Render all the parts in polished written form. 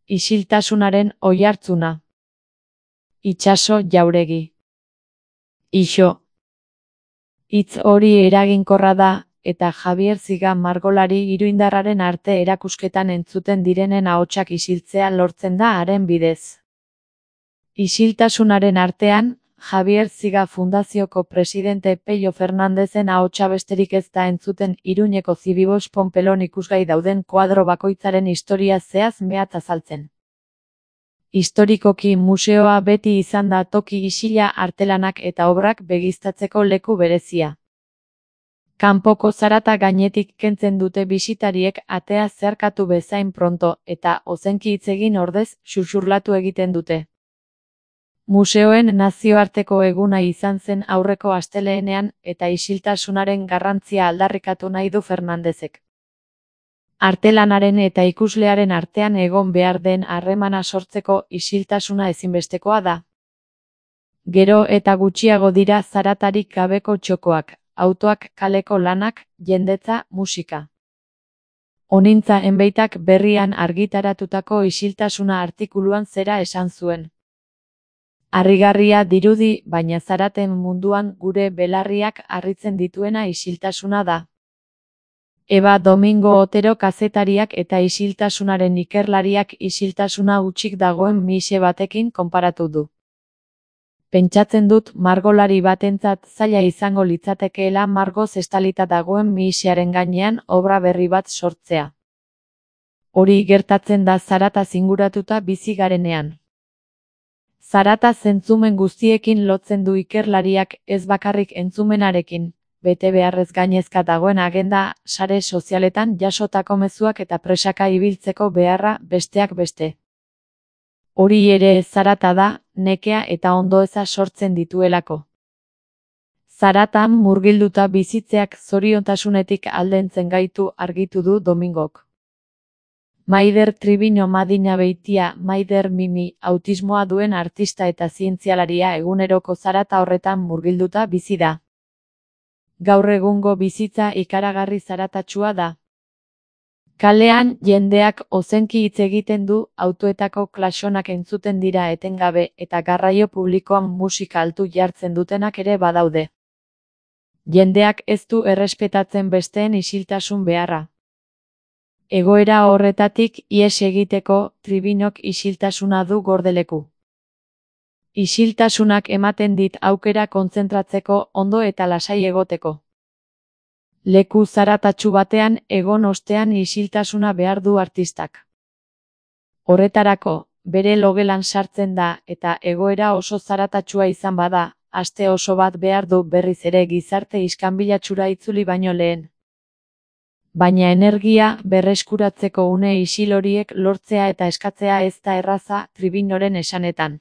Isiltasunaren oihartzuna. Itsaso Jauregi. Ixo. Hitz hori eraginkorra da, eta Javier Ziga margolari iruindarraren arte erakusketan entzuten direnen ahotsak isiltzea lortzen da haren bidez. Isiltasunaren artean, Javier Ziga Fundazioko presidente Pello Fernandezen ahotsa besterik ez da entzuten Iruñeko Zibibos Ponpelon ikusgai dauden koadro bakoitzaren historia zehaz mehatz azaltzen. Historikoki museoa beti izan da toki isila artelanak eta obrak begiztatzeko leku berezia. Kanpoko zarata gainetik kentzen dute bisitariek atea zeharkatu bezain pronto eta ozenki hitz egin ordez xuxurlatu egiten dute. Museoen nazioarteko eguna izan zen aurreko astelehenean eta isiltasunaren garrantzia aldarrikatu nahi du Fernandezek. Artelanaren eta ikuslearen artean egon behar den harremana sortzeko isiltasuna ezinbestekoa da. Gero eta gutxiago dira zaratarik gabeko txokoak, autoak, kaleko lanak, jendetza, musika. Honintza Enbeitak berrian argitaratutako isiltasuna artikuluan zera esan zuen. Harrigarria dirudi, baina zaraten munduan gure belarriak harritzen dituena isiltasuna da. Eba Domingo Otero kazetariak eta isiltasunaren ikerlariak isiltasuna hutsik dagoen mixe batekin konparatu du. Pentsatzen dut margolari batentzat zaila izango litzatekeela margoz estalita dagoen mixearen gainean obra berri bat sortzea. Hori gertatzen da zarataz inguratuta bizi garenean. Zarata zentzumen guztiekin lotzen du ikerlariak, ez bakarrik entzumenarekin, bete beharrez gainezka dagoen agenda, sare sozialetan jasotako mezuak eta presaka ibiltzeko beharra besteak beste. Hori ere zarata da, nekea eta ondoeza sortzen dituelako. Zaratan murgilduta bizitzeak zoriontasunetik aldentzen gaitu argitu du Domingok. Maider Tribino Madina Beitia, Maider Mimi, autismoa duen artista eta zientzialaria eguneroko zarata horretan murgilduta bizi da. Gaur egungo bizitza ikaragarri zaratatsua da. Kalean jendeak ozenki hitz egiten du, autoetako klaxonak entzuten dira etengabe eta garraio publikoan musika altu jartzen dutenak ere badaude. Jendeak ez du errespetatzen besteen isiltasun beharra. Egoera horretatik ihes egiteko Tribinok isiltasuna du gordeleku. Isiltasunak ematen dit aukera kontzentratzeko ondo eta lasai egoteko. Leku zaratatsu batean egon ostean isiltasuna behar du artistak. Horretarako, bere logelan sartzen da eta egoera oso zaratatsua izan bada, aste oso bat behar du berriz ere gizarte iskanbilatsura itzuli baino lehen. Baina energia berreskuratzeko une isil horiek lortzea eta eskatzea ez da erraza Tribinoren esanetan.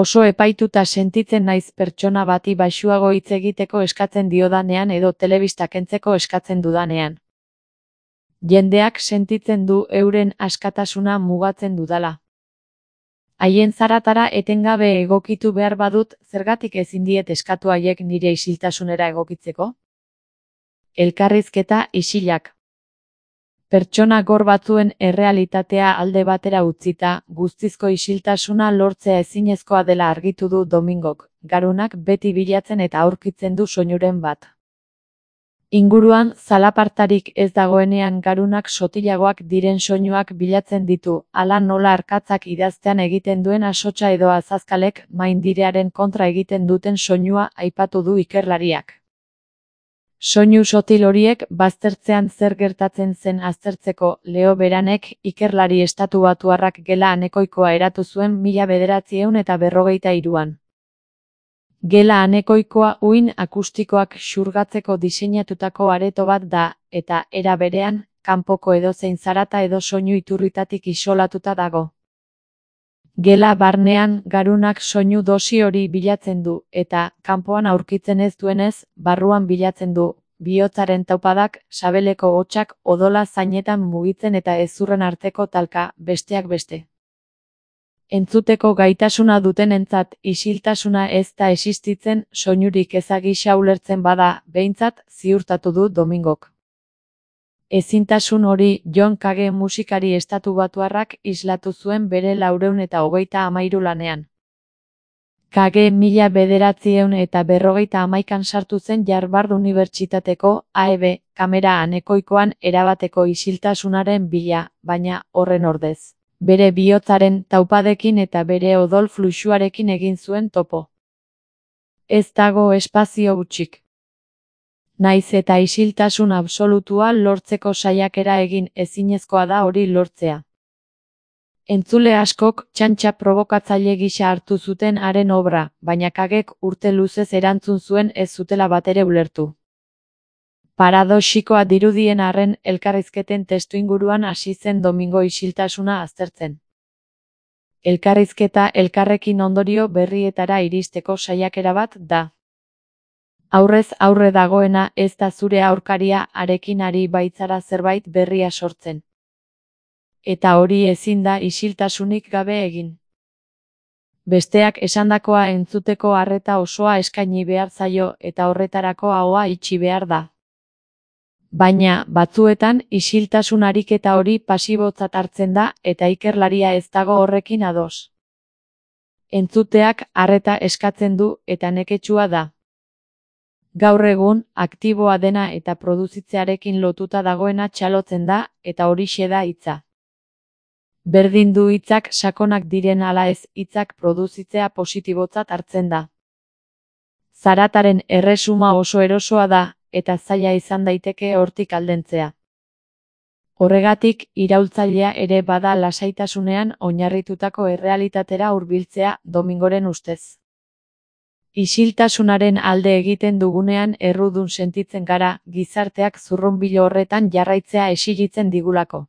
Oso epaituta sentitzen naiz pertsona bati baxuago hitz egiteko eskatzen diodanean edo telebista kentzeko eskatzen dudanean. Jendeak sentitzen du euren askatasuna mugatzen dudala. Haien zaratara etengabe egokitu behar badut, zergatik ezin diet eskatu haiek nire isiltasunera egokitzeko? Elkarrizketa isilak. Pertsona gor batzuen errealitatea alde batera utzita, guztizko isiltasuna lortzea ezinezkoa dela argitu du Domingok, garunak beti bilatzen eta aurkitzen du soinuren bat. Inguruan zalapartarik ez dagoenean garunak sotilagoak diren soinuak bilatzen ditu, hala nola arkatzak idaztean egiten duen asotsa edo azazkalek maindirearen kontra egiten duten soinua aipatu du ikerlariak. Soinu sotil horiek baztertzean zer gertatzen zen aztertzeko Leo Beranek ikerlari estatubatuarrak gela anekoikoa eratu zuen 1953an. Gela anekoikoa uhin akustikoak xurgatzeko diseinatutako areto bat da, eta era berean, kanpoko edozein zarata edo soinu iturritatik isolatuta dago. Gela barnean garunak soinu dosi hori bilatzen du, eta kanpoan aurkitzen ez duenez, barruan bilatzen du, bihotzaren taupadak, sabeleko hotsak odola zainetan mugitzen eta hezurren arteko talka, besteak beste. Entzuteko gaitasuna dutenentzat isiltasuna ez da existitzen soinurik ezagisa ulertzen bada, behintzat ziurtatu du Domingok. Ezintasun hori John Cage musikari estatubatuarrak islatu zuen bere 433 lanean. Cage 1951an sartu zen Harvard Unibertsitateko AEB kamera anekoikoan erabateko isiltasunaren bila, baina, horren ordez, bere bihotzaren taupadekin eta bere odol fluxuarekin egin zuen topo. Ez dago espazio hutsik. Naiz eta isiltasun absolutua lortzeko saiakera egin, ezinezkoa da hori lortzea. Entzule askok txantxa probokatzaile gisa hartu zuten haren obra, baina Cagek urte luzez erantzun zuen ez zutela batere ulertu. Paradoxikoa dirudien arren, elkarrizketen testuinguruan hasi zen Domingo isiltasuna aztertzen. Elkarrizketa elkarrekin ondorio berrietara iristeko saiakera bat da. Aurrez aurre dagoena ez da zure aurkaria harekin ari baitzara zerbait berria sortzen. Eta hori ezin da isiltasunik gabe egin. Besteak esandakoa entzuteko arreta osoa eskaini behar zaio eta horretarako ahoa itxi behar da. Baina, batzuetan, isiltasun ariketa hori pasibotzat hartzen da eta ikerlaria ez dago horrekin ados. Entzuteak arreta eskatzen du eta neketsua da. Gaur egun, aktiboa dena eta produzitzearekin lotuta dagoena txalotzen da eta horixe da hitza. Berdin du hitzak sakonak diren ala ez, hitzak produzitzea positibotzat hartzen da. Zarataren erresuma oso erosoa da, eta zaila izan daiteke hortik aldentzea. Horregatik, iraultzailea ere bada lasaitasunean oinarritutako errealitatera hurbiltzea, Domingoren ustez. Isiltasunaren alde egiten dugunean errudun sentitzen gara, gizarteak zurrunbilo horretan jarraitzea exijitzen digulako.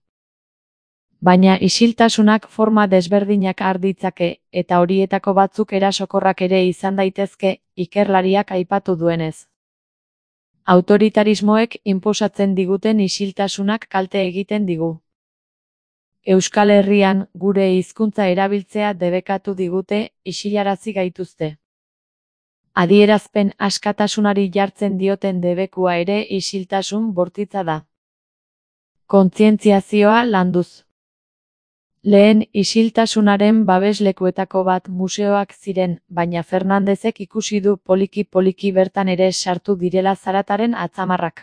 Baina isiltasunak forma desberdinak har ditzake, eta horietako batzuk erasokorrak ere izan daitezke, ikerlariak aipatu duenez. Autoritarismoek inposatzen diguten isiltasunak kalte egiten digu. Euskal Herrian, gure hizkuntza erabiltzea debekatu digute, isilarazi gaituzte. Adierazpen askatasunari jartzen dioten debekua ere isiltasun bortitza da. Kontzientziazioa landuz. Lehen isiltasunaren babeslekuetako bat museoak ziren, baina Fernandezek ikusi du poliki-poliki bertan ere sartu direla zarataren atzamarrak.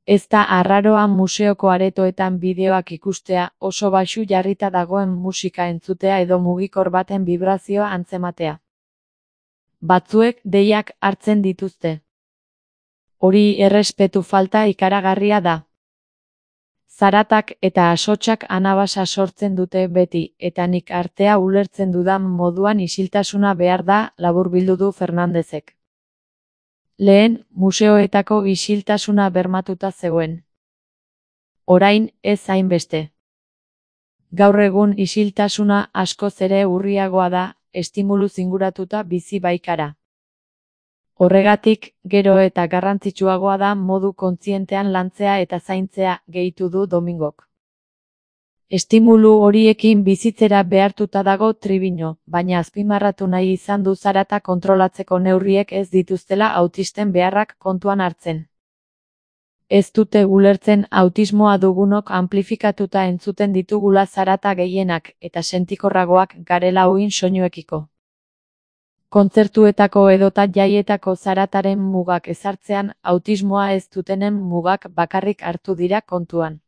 Ez da arraroa museoko aretoetan bideoak ikustea, oso baxu jarrita dagoen musika entzutea edo mugikor baten vibrazioa antzematea. Batzuek deiak hartzen dituzte. Hori errespetu falta ikaragarria da. Zaratak eta asotsak anabasa sortzen dute beti, eta nik artea ulertzen dudan moduan isiltasuna behar da, laburbildu du Fernandezek. Lehen, museoetako isiltasuna bermatuta zegoen. Orain, ez hainbeste. Gaur egun isiltasuna askoz ere urriagoa da, estimuluz inguratuta bizi baikara. Horregatik, gero eta garrantzitsuagoa da modu kontzientean lantzea eta zaintzea, gehitu du Domingok. Estimulu horiekin bizitzera behartuta dago Triviño, baina azpimarratu nahi izan du zarata kontrolatzeko neurriek ez dituztela autisten beharrak kontuan hartzen. Ez dute ulertzen autismoa dugunok amplifikatuta entzuten ditugula zarata gehienak eta sentikorragoak garela uhin soinuekiko. Kontzertuetako edota jaietako zarataren mugak ezartzean, autismoa ez dutenen mugak bakarrik hartu dira kontuan.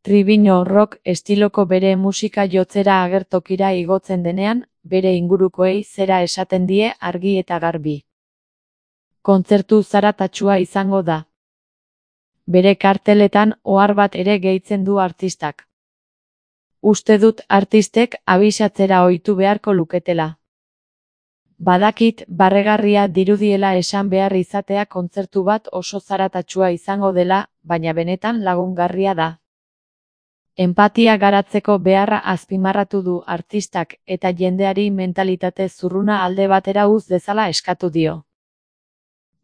Triviño rock estiloko bere musika jotzera agertokira igotzen denean, bere ingurukoei zera esaten die argi eta garbi. Kontzertu zaratatsua izango da. Bere karteletan ohar bat ere gehitzen du artistak. Uste dut artistek abisatzera ohitu beharko luketela. Badakit barregarria dirudiela esan behar izatea kontzertu bat oso zaratatsua izango dela, baina benetan lagungarria da. Enpatia garatzeko beharra azpimarratu du artistak eta jendeari mentalitate zurruna alde batera uz dezala eskatu dio.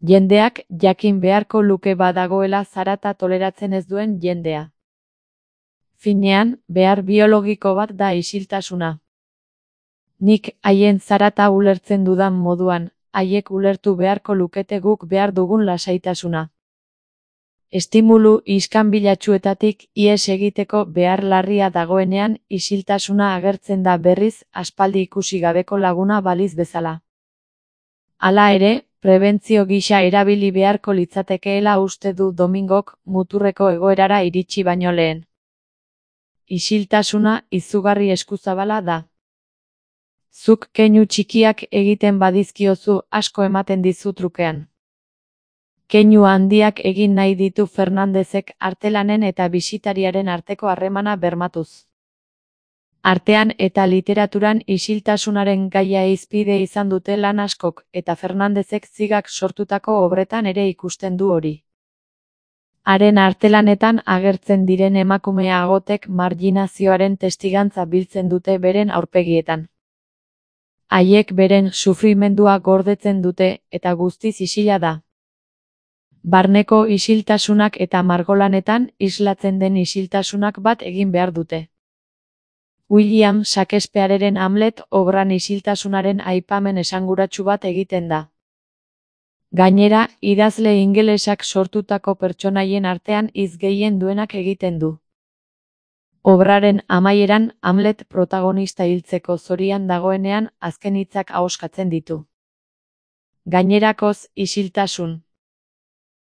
Jendeak jakin beharko luke badagoela zarata toleratzen ez duen jendea. Finean, behar biologiko bat da isiltasuna. Nik haien zarata ulertzen dudan moduan, haiek ulertu beharko lukete guk behar dugun lasaitasuna. Estimulu iskanbilatsuetatik ihes egiteko behar larria dagoenean isiltasuna agertzen da berriz aspaldi ikusi gabeko laguna baliz bezala. Hala ere, prebentzio gisa erabili beharko litzatekeela uste du Domingok muturreko egoerara iritsi baino lehen. Isiltasuna izugarri eskuzabala da. Zuk keinu txikiak egiten badizkiozu asko ematen dizu trukean. Keinu handiak egin nahi ditu Fernandezek artelanen eta bisitariaren arteko harremana bermatuz. Artean eta literaturan isiltasunaren gaia hizpide izan dute lan askok eta Fernandezek Zigak sortutako obretan ere ikusten du hori. Haren artelanetan agertzen diren emakume agotek marginazioaren testigantza biltzen dute beren aurpegietan. Haiek beren sufrimendua gordetzen dute eta guztiz isila da. Barneko isiltasunak eta margolanetan islatzen den isiltasunak bat egin behar dute. William Shakespeareren Hamlet obran isiltasunaren aipamen esanguratsu bat egiten da. Gainera, idazle ingelesak sortutako pertsonaien artean hitz gehien duenak egiten du. Obraren amaieran Hamlet protagonista hiltzeko zorian dagoenean azken hitzak ahoskatzen ditu. Gainerakoz, isiltasun.